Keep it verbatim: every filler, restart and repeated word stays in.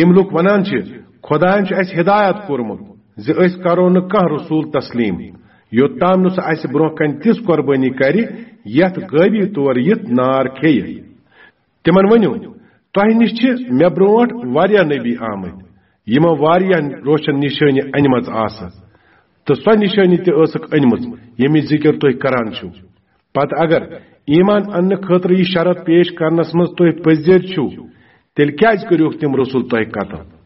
یِم لوٗکھ ونان چھِ، خۄدایَن چھُ اَسہِ ہدایت کوٚرمُت زِ أسۍ کرو نہٕ کانٛہہ رسول تسلیم، یوٚت تام نہٕ سُہ اَسہِ برونٛہہ کنہِ تِژھ قۄربٲنی کرِ، یَتھ غٲبی طور یِتھ نار کھیٚیہِ۔ تِمن ؤنِو، تۄہہِ نِش چھِ مےٚ برونٛٹھ واریاہ نبی آمٕتۍ، یِمو واریاہ روشن نشٲنی أنمٕژ آسہٕ، تہٕ سۄ نشٲنی تہِ ٲسٕکھ أنمٕژ، ییٚمِچ ذِکر تُہۍ کران چھِو۔ پتہٕ اگر ایمان اننہٕ خٲطرٕ یہِ شرط پیش کرنس منٛز تُہۍ پٔزۍ چھِو، تیٚلہِ کیازِ کٔرِوکھ تِم رسول تۄہہِ قتل؟